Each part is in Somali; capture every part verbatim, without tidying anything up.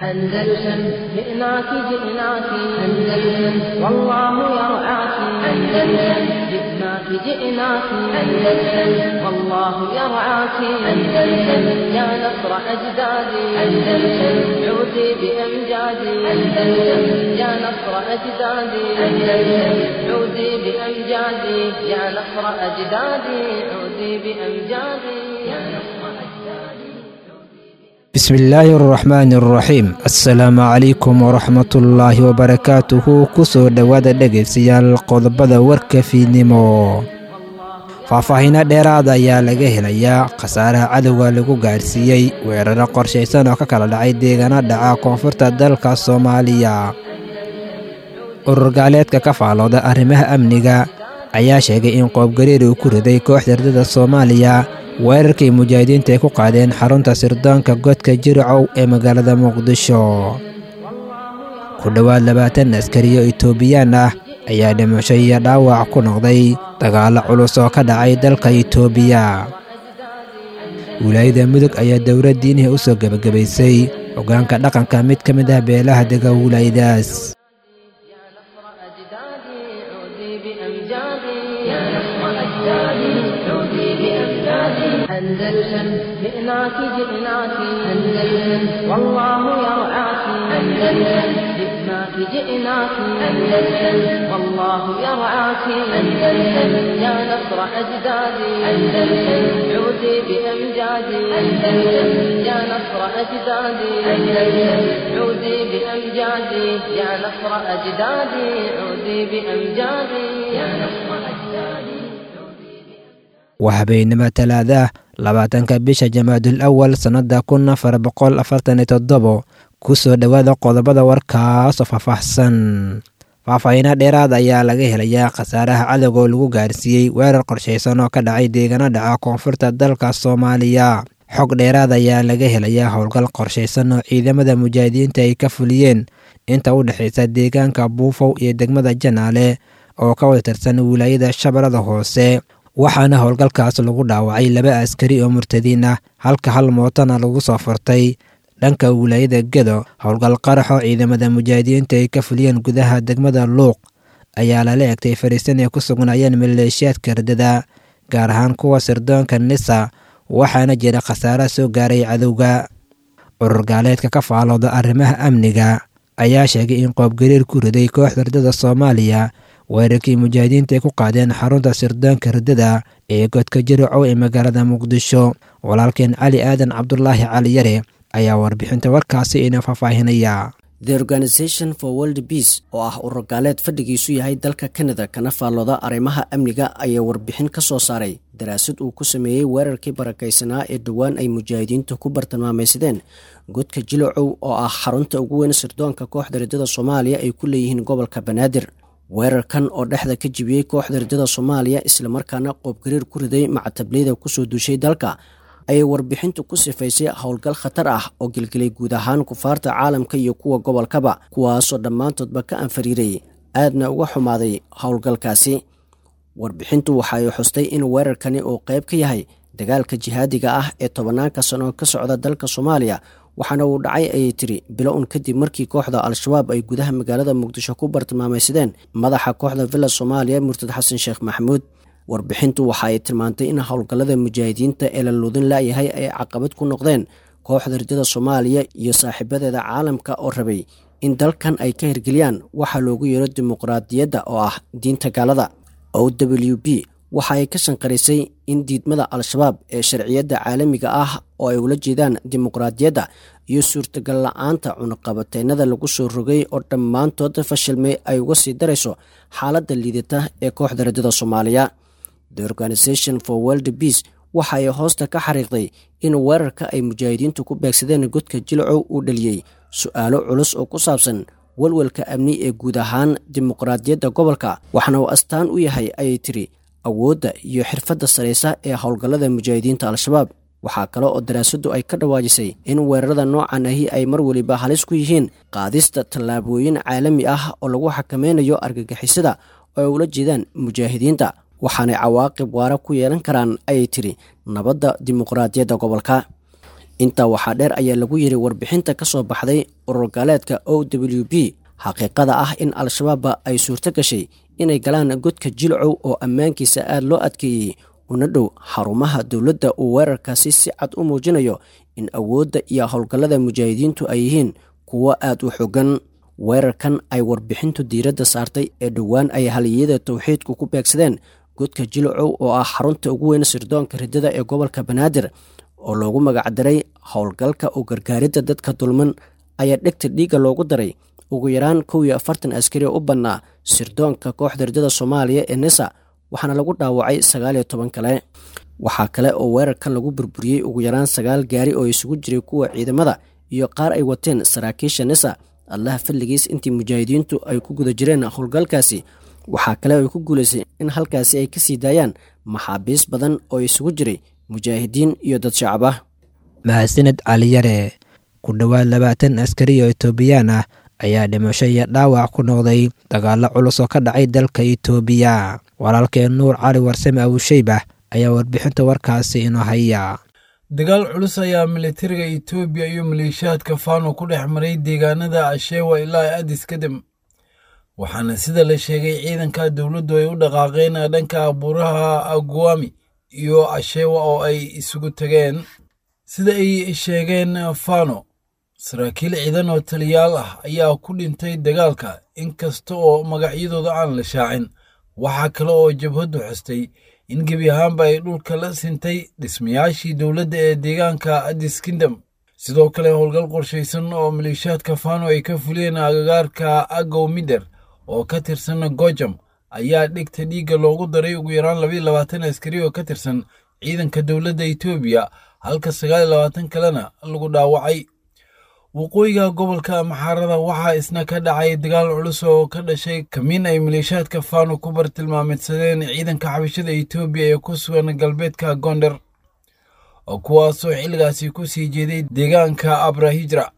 أندلسن جئناك جئناك أندلسن والله يرعاك أندلسن جئناك جئناك أندلسن والله يرعاك أندلسن يا نصر أجدادي أندلسن عودي بأمجادي أندلسن يا نصر أجدادي أندلسن عودي بأمجادي يا نصر أجدادي عودي بأمجادي يا نصر أجدادي. Bismillaahi araxmaani araxiim. Assalaamu calaykum waraxmatullaahi wabarakaatuhu. Kusoo dhowaada dhegaystayaal qodobada warka fiidnimo. Faahfaahiino dheeraada ayaa laga helayaa khasaaraha cadowga lagu gaarsiiyey weeraro qorshaysan oo ka kala dhacay deegaano dhaca koonfurta dalka Soomaaliya. Urur gaaleedka ka faalooda arrimaha amniga ayaa sheegay in qoobgariir uu ku riday kooxda ardada Soomaaliya weerarkii mujaahidiinta ay ku qaadeen xarunta sirdoonka godka Jiricow ee magaalada Muqdisho. Ku dhowaad labaatan askariyo Itoobiyaan ah ayaa dhimasho iyo dhaawac ku noqday dagaallo culus oo ka dhacay dalka Itoobiya. Wilaayada Mudug ayaa dowlad diinihi u soo gebagabaysay hoggaanka dhaqanka mid ka mid ah beelaha dega wilaayadaas. يا نصر أجدادي عودي بأمجادي يا نصر أجدادي عودي بأمجادي أندلسن جئناك جئناك أندلسن والله يرعاك أندلسن جئناك جئناك أندلسن والله يرعاك أندلسن يا نصر أجدادي أندلسن عودي بأمجادي أندلسن يا نصر أجدادي أندلسن عودي بأمجادي يا نصر أجدادي عودي بأمجادي يا نصر أجدادي. Waa habeenimo Talaada, labaatanka bisha Jamaadul Awal sannada kun afar boqol afartan iyo toddobo. Kusoo dhowaada qodobada warkaasoo faahfaahsan. Faahfaahiino dheeraad ayaa laga helayaa khasaaraha cadowga oo lagu gaarsiiyey weerar qorshaysan oo ka dhacay deegaano dhaca koonfurta dalka Soomaaliya. Xog dheeraad ayaa laga helayaa howlgal qorshaysan oo ciidamada mujaahidiinta ay ka fuliyeen inta u dhexaysa deegaanka Buufow iyo degmada Janaale oo ka wada tirsan wilaayada Shabeellada Hoose, waxaana howlgalkaas lagu dhaawacay laba askari oo murtadiin ah, halka hal mootona lagu soo furtay. Dhanka wilaayada Gedo, howlgal qaraxoo ciidamada mujaahidiinta ay ka fuliyeen gudaha degmada Luuq ayaa lala egtay fariisan ay ku sugnaayeen maleeshiyaadka ardada, gaar ahaan kuwa sirdoonka Nisa, waxaana jira khasaare soo gaaray cadowga. Urur gaaleedka ka faalooda arrimaha amniga ayaa sheegay in qoobgariir ku riday kooxda ardada Soomaaliya weerarkii mujaahidiinta ay ku qaadeen xarunta sirdoonka ardada ee godka Jiricow ee magaalada Muqdisho. Walaalkeen Cali Aadan Cabdulaahi Cali Yare ayaa warbixinta warkaasi ina faahfaahinaya. The Organization for World Peace oo ah urur gaaleed fadhigiisu yahay dalka Canada kana faallooda arrimaha amniga ayaa warbixin ka soo saaray daraasad uu ku sameeyey weerarkii barakaysanaa ee dhowaan ay mujaahidiintu ku bartilmaamaysadeen godka Jilocow oo ah xarunta ugu weyn sirdoonka kooxda ridada Soomaaliya ay ku leeyihiin gobolka Banaadir. Weerarkan oo dhexda ka jibiyey kooxda ridada Soomaaliya islamarkaana qoobgariir ku riday macatabliyada kusoo duushay dalka ayay warbixintu ku sifaysay howlgal khatar ah oo gelgelay guud ahaan kufaarta caalamka iyo kuwa gobolkaba, kuwaasoo dhammaantoodba ka anfariiray aadna uga xumaaday howlgalkaasi. Warbixintu waxa ay xustay in weerarkani uu qayb ka yahay dagaalka jihaadiga ah ee tobanaanka sano ka socda dalka Soomaaliya, waxaana uu dhacay, ayay tiri, bilo un kadib markii kooxda Al-Shabaab ay gudaha magaalada Muqdisho ku bartilmaamaysadeen madaxa kooxda Villa Soomaaliya, murtad Xasan Sheekh Maxamuud. Warbixintu waxa ay tilmaantay in howlgallada mujaahidiinta ee la luudin laayahay ay caqabad ku noqdeen kooxda ridada Soomaaliya iyo saaxiibadeeda caalamka oo rabay in dalkan ay ka hirgeliyaan waxa loogu yeero dimuqraadiyadda oo ah diinta gaalada. O W P waxa ay ka shanqarisay in diidmada Al-Shabaab ee sharciyadda caalamiga ah oo ay ula jeedaan dimuqraadiyadda iyo suurtagal la-aanta cunaqabateynada lagu soo rogay oo dhammaantood fashilmay ay uga sii darayso xaaladda liidata ee kooxda ridada Soomaaliya. The Organization for World Peace waxa ay hoosta ka xariiqday in weerarka ay mujaahidiintu ku beegsadeen godka Jilcow uu dhaliyey su-aalo culus oo ku saabsan walwalka amni ee guud ahaan dimuqraadiyadda gobolka, waxaana uu astaan u yahay, ayay tiri, awoodda iyo xirfadda saraysa ee howlgallada mujaahidiinta Al-Shabaab. Waxaa kale oo daraasaddu ay ka dhawaajisay in weerarada noocan ahi ay mar weliba halis ku yihiin qaadista tallaabooyin caalami ah oo lagu xakameynayo argagixisada oo ay ula jeedaan mujaahidiinta, waxaanay cawaaqib waara ku yeelan karaan, ayay tiri, nabadda dimuqraadiyadda gobolka. Intaa waxaa dheer ayaa lagu yiri warbixinta ka soo baxday urur gaaleedka O W B xaqiiqada ah in Al-Shabaab ay suurto gashay inay galaan godka Jilcow oo ammaankiisa aad loo adkeeyey una dhow xarumaha dowladda uu weerarkaasi si cad u muujinayo in awoodda iyo howlgallada mujaahidiintu ay yihiin kuwo aad u xooggan. Weerarkan ay warbixintu diiradda saartay ee dhowaan ay haliyada towxiidku ku beegsadeen godka Jilcow oo ah xarunta ugu weyn sirdoonka riddada ee gobolka Banaadir oo loogu magacdaray howlgalka u gargaaridda dadka dulman ayaa dhegta dhiigga loogu daray ugu yaraan kow iyo afartan askari oo u bannaa sirdoonka kooxda riddada Soomaaliya ee NISA, waxaana lagu dhaawacay sagaal iyo toban kale. Waxaa kale oo weerarkan lagu burburiyey ugu yaraan sagaal gaari oo isugu jiray kuwa ciidamada iyo qaar ay wateen saraakiisha NISA. Allaha fadligiis intii mujaahidiintu ay ku guda jireen howlgalkaasi waxaa kale ay ku guulaysay in halkaasi ay ka sii daayaan maxaabiis badan oo isugu jiray mujaahidiin iyo dad shacab ah. Mahadsaned Caliyare. Ku dhowaad labaatan askari oo Itoobiyaan ah ayaa dhimasho iyo dhaawac ku noqday dagaallo culus oo ka dhacay dalka Itoobiya. Walaalkeen Nuur Cali Warsame Abuusheybah ayaa warbixinta warkaasi inoo haya. Dagaal culus ayaa militariga Itoobiya iyo maleeshiyaadka Fano ku dhex maray deegaanada Ashewa ilaa Addis Kadam, waxaana sida la sheegay ciidanka dowladdu ay u dhaqaaqeen dhanka buuraha Aguami iyo Ashewa oo ay isugu tageen. Sida ay sheegeen Fano, saraakiil ciidan oo taliyaal ah ayaa ku dhintay dagaalka, inkasta oo magacyadooda aan la shaacin. Waxaa kale oo jabhaddu xustay in gebi ahaanba ay dhulka la sintay dhismayaashii dowladda ee deegaanka Addis Kingdom. Sidoo kale howlgal qorshaysan oo maleeshiyaadka Fano ay ka fuliyeen agagaarka Agow Mider oo ka tirsan Gojam ayaa dhigta dhiigga loogu daray ugu yaraan labayo labaatan askari oo ka tirsan ciidanka dowladda Itoobiya, halka sagaal iyo labaatan kalena lagu dhaawacay. Waqooyiga gobolka Maxaarada waxaa isna ka dhacay dagaal culus oo ka dhashay kamiin ay maleeshiyaadka Fano ku bartilmaameedsadeen ciidanka xabashada Itoobiya ee ku sugan galbeedka Gondar, kuwaasoo xilligaasi ku sii jeeday deegaanka Abrahijra.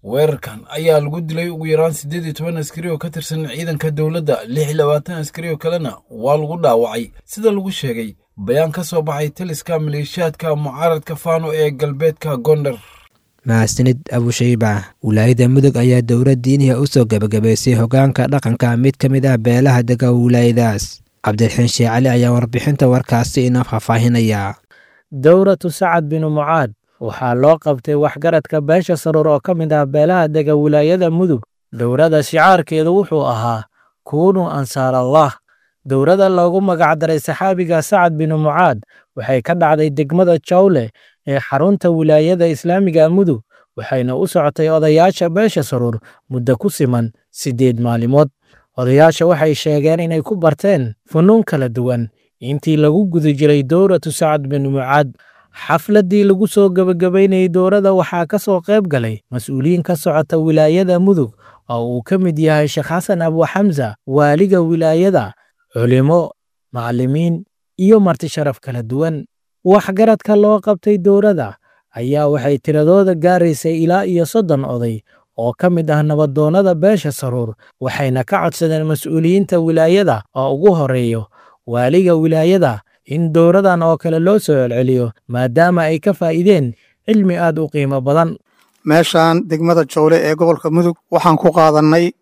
Weerarkan ayaa lagu dilay ugu yaraan siddeed iyo toban askari oo ka tirsan ciidanka dowladda, lix iyo labaatan askari oo kalena waa lagu dhaawacay, sida lagu sheegay bayaan ka soo baxay taliska maleeshiyaadka mucaaradka Fano ee galbeedka Gondar. Mahadsanid Abushayba. Wilaayada Mudug ayaa dowlad diiniha u soo gebagabaysay hogaanka dhaqanka mid ka mid ah beelaha dega wilaayadaas. Cabdiraxiin Sheekh Cali ayaa warbixinta warkaasi inoo faahfaahinaya. Dowratu Sacad binu Mucaad waxaa loo qabtay waxgaradka beesha Saruur oo ka mid ah beelaha dega wilaayada Mudug. Dowrada shicaarkeedu wuxuu ahaa kuunu ansaar Allah. Dowrada loogu magacdaray saxaabiga Sacad binu Mucaad waxay ka dhacday degmada Jawle ee xarunta wilaayada Islaamiga Mudug, waxayna u socotay odayaasha beesha Saruur muddo ku siman siddeed maalimood. Odayaasha waxay sheegeen inay ku barteen funuun kala duwan intii lagu guda jiray dowratu Sacad binu Mucaad. Xafladdii lagu soo gebagabaynayay dowrada waxaa ka soo qayb galay mas-uuliyiin ka socota wilaayada Mudug oo uu ka mid yahay Sheekh Xasan Abu Xamsa, waaliga wilaayada, culimo, macallimiin iyo marti sharaf kala duwan. Waxgaradka loo qabtay dowrada ayaa waxay tiradooda gaaraysay ilaa iyo soddon oday oo ka mid ah nabadoonnada beesha Saruur, waxayna ka codsadeen mas-uuliyiinta wilaayada oo ugu horeeyo waaliga wilaayada in dowradan oo kale loo soo celceliyo maadaama ay ka faa'iideen cilmi aad u qiimo badan. Meeshaan degmada Jowle ee gobolka Mudug waxaan ku qaadannay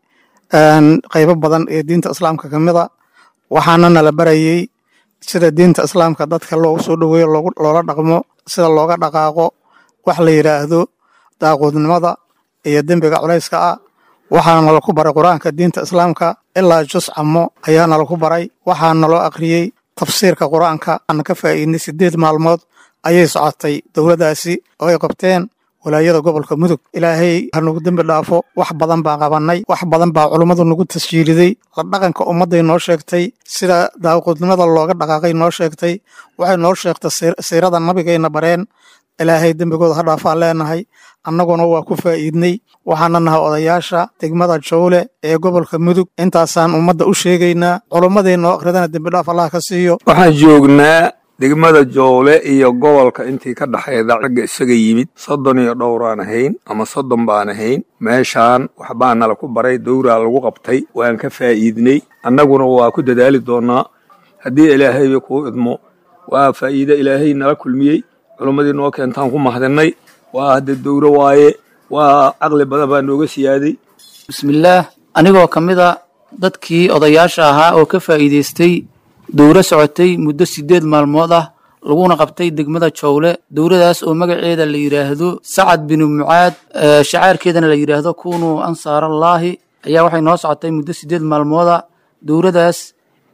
qaybo badan ee diinta islaamka ka mid a, waxaana nala barayey sida diinta islaamka dadka loogu soo dhoweeyo, loola dhaqmo, sida looga dhaqaaqo wax la yidhaahdo daaquudnimada iyo dembiga culayska ah. Waxaana nala ku baray qur-aanka diinta islaamka ilaa jus camo ayaa nala ku baray. Waxaa naloo akhriyey tafsiirka qur-aanka, aan ka faa'iidnay. Siddeed maalmood ayay socotay dowladdaasi oo ay qabteen walaayada gobolka Mudug. Ilaahay ha nagu dembi dhaafo. Wax badan baan qabannay, wax badan baa culummadu nagu tasjiiliday. La dhaqanka ummadday noo sheegtay, sida daaqudnimada looga dhaqaaqay noo sheegtay, waxay noo sheegtay siirada nabigayna bareen. Ilaahay dembigooda ha dhaafaan leenahay, annaguna waa ku faa'iidnay. Waxaana nahay odayaasha degmada Jowle ee gobolka Mudug. Intaasaan ummadda u sheegaynaa, culummadii noo akhridana dembidhaaf Allah ka siiyo. Waxaan joognaa degmada Jowle iyo gobolka intii ka dhexayda ragga isaga yimid soddon iyo dhowraan ahayn ama soddon baan ahayn. Meeshaan waxbaa nala ku baray, dowraa lagu qabtay, waan ka faa'iidnay. Annaguna waa ku dadaali doonnaa haddii ilaahayba kuu idmo. Waa faa'iide ilaahay nala kulmiyey, culummadii noo keentaan ku mahadinnay. Waa hadda dowro waaye, waa caqli badan baa nooga siyaaday. Bismillaah, anigoo ka mid a dadkii odayaasha ahaa oo ka faa'iidaystay dowro socotay muddo siddeed maalmood ah, laguna qabtay degmada Jowle, dowradaas oo magaceeda la yidhaahdo Sacad binu Mucaad, shacaarkeedana la yidhaahdo kunuu ansaarallaahi, ayaa waxay noo socotay muddo siddeed maalmooda. Dowradaas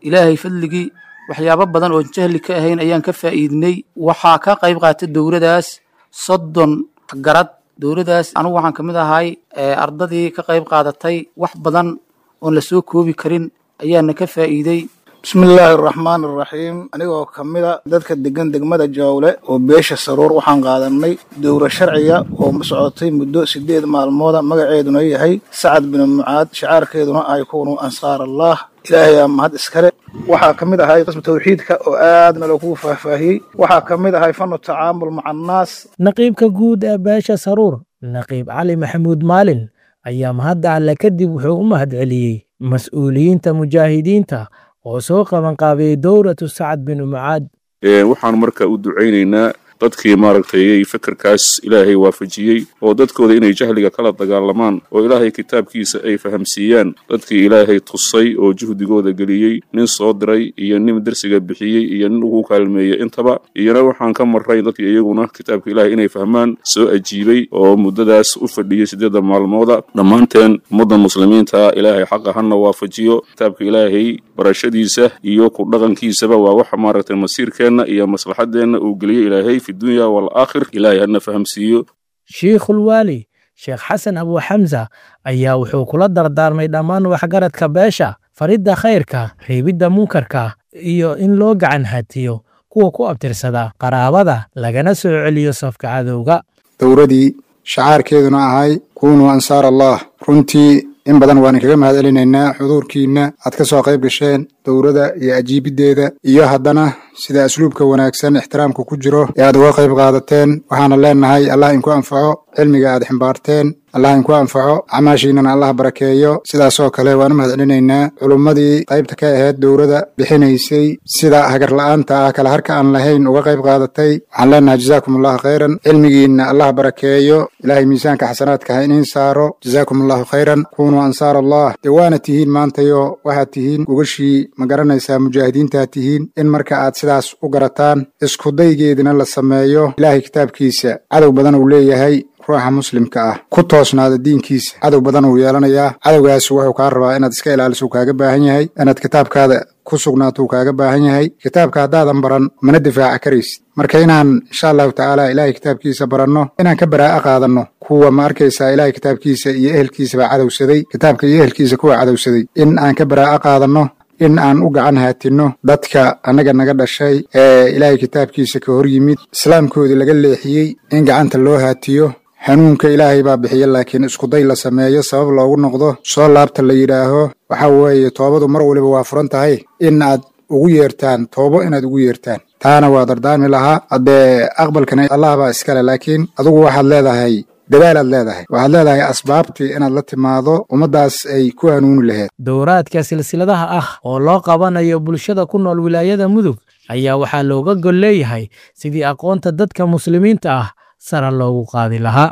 Ilaahay fadligii waxyaabo badan oon jahli ka ahayn ayaan ka faa'iidnay. Waxaa ka qayb qaatay dowradaas soddon garad. Dowradaas anugu waxaan ka mid ahay ardadii ka qayb qaadatay. Wax badan oon la soo koobi karin ayaana ka faa'iiday. Bismillaahi araxmaan araxiim, anigoo ka mid a dadka degan degmada Jawle oo beesha Saruur, waxaan qaadanay dowro sharciga oo socotay muddo sideed maalmooda, magaceeduna yahay Sacad binu Mucaad, shacaarkeeduna ay kuunu ansaarallah. Ilaahay aa mahad iskale. Waxaa ka mid ahay qismu tawxiidka oo aadna loogu faahfaahiyey. Waxaa ka mid ahay fanu tacaamul maca annaas. Naqiibka guud ee beesha Saruur, Naqiib Cali Maxamuud Maalin, ayaa mahadda Alle kadib wuxuu u mahadceliyey mas-uuliyiinta mujaahidiinta oo soo qabanqaabiyey dowratu Sacad binu Mucaad. Waxaan marka u ducaynaynaa dadkii maaragtay fikirkaas Ilaahay waafajiyey oo dadkooda inay jahliga kala dagaalamaan oo Ilaahay kitaabkiisa ay fahamsiiyaan, dadkii Ilaahay tusay oo juhdigooda geliyey, nin soo diray iyo nin darsiga bixiyey iyo nin ugu kaalmeeyey intaba. Iyana waxaan ka marray dadkii iyaguna kitaabka Ilaahay inay fahmaan soo ajiibay oo muddadaas u fadhiyey siddeedda maalmooda. Dhammaanteen ummadda muslimiinta Ilaahay xaqa hana waafajiyo. Kitaabka Ilaahay barashadiisa iyo ku dhaqankiisaba waa waxa maaragtay masiirkeenna iyo maslaxadeenna uu geliyey Ilaahay fi dunya walaakhir. Ilaahay hana fahamsiiyo. Shiikhulwaali Sheekh Xasan Abu Xamsa ayaa wuxuu kula dardaarmay dhammaan waxgaradka beesha faridda khayrka, reebidda munkarka iyo in loo gacan hatiyo kuwa ku abtirsada qaraabada, lagana soo celiyo safka cadowga. Dowradii shacaarkeeduna ahay kunuu ansaar Allah, runtii in badan waan kaga mahad celinaynaa xuduurkiinna aad ka soo qayb gasheen dowrada iyo ajiibiddeeda, iyo haddana sida asluubka wanaagsan ixtiraamka ku jiro ee aad uga qayb qaadateen. Waxaana leenahay Allah inku anfaco cilmiga aad ximbaarteen, Allah inku anfaco, acmaashiinana Allah barakeeyo. Sidaasoo kale waan u mahad celinaynaa culummadii qaybta ka ahayd dowrada bixinaysay, sida hagarla'aanta ah kala harka aan lahayn uga qayb qaadatay. Waxaan leenahay jazaakum allahu khayran, cilmigiinna Allah barakeeyo, Ilaahay miisaanka xasanaadka ha iniin saaro. Jazaakum allahu khayran, kunuu ansaar Allah. Dee waana tihiin maantayo, waxaad tihiin gogashii, ma garanaysaa, mujaahidiintaad tihiin. In marka aad sidaas u garataan, iskudaygeedina la sameeyo. Ilaahay kitaabkiisa cadow badan uu leeyahay. Ruuxa muslimka ah ku toosnaada diinkiisa cadow badan uu yeelanayaa. Cadowgaas wuxuu kaa rabaa inaad iska ilaaliso, uu kaaga baahan yahay inaad kitaabkaada ku sugnaato, uu kaaga baahan yahay. Kitaabka haddaadan baran mana difaaca karaysid. Marka inaan insha allahu tacaala Ilaahay kitaabkiisa baranno, inaan ka baraa'a qaadanno kuwa, ma arkaysaa, Ilaahay kitaabkiisa iyo ehelkiisaba cadowsaday, kitaabka iyo ehelkiisa kuwa cadowsaday in aan ka baraa'a qaadanno, in aan u gacan haatinno dadka annaga naga dhashay ee Ilaahay kitaabkiisa ka hor yimid, islaamkoodii laga leexiyey, in gacanta loo haatiyo. Hanuunka Ilaahay baa bixiya, laakiin iskuday la sameeyo, sabab loogu noqdo, soo laabta la yidhaaho. Waxa weeye toobadu mar waliba waa furan tahay, in aad ugu yeertaan toobo, inaad ugu yeertaan, taana waa dardaarmi lahaa. Haddee aqbalkana Allah baa iskale, laakiin adugu waxaad leedahay dadaalaad leedahay, waxaad leedahay asbaabtii inaad la timaado ummaddaas ay ku hanuuni lahayd. Dowraadka silsiladaha ah oo loo qabanayo bulshada ku nool wilaayada Mudug ayaa waxaa looga gol leeyahay sidii aqoonta dadka muslimiinta ah sara loogu qaadi lahaa.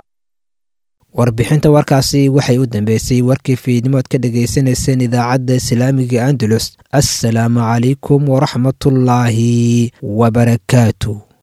Warbixinta warkaasi waxay u dambeysay warkii fiidnimood ka dhagaysanayseen idaacadda Islaamiga Andalus. Assalaamu calaykum waraxmatullaahi wabarakaatu.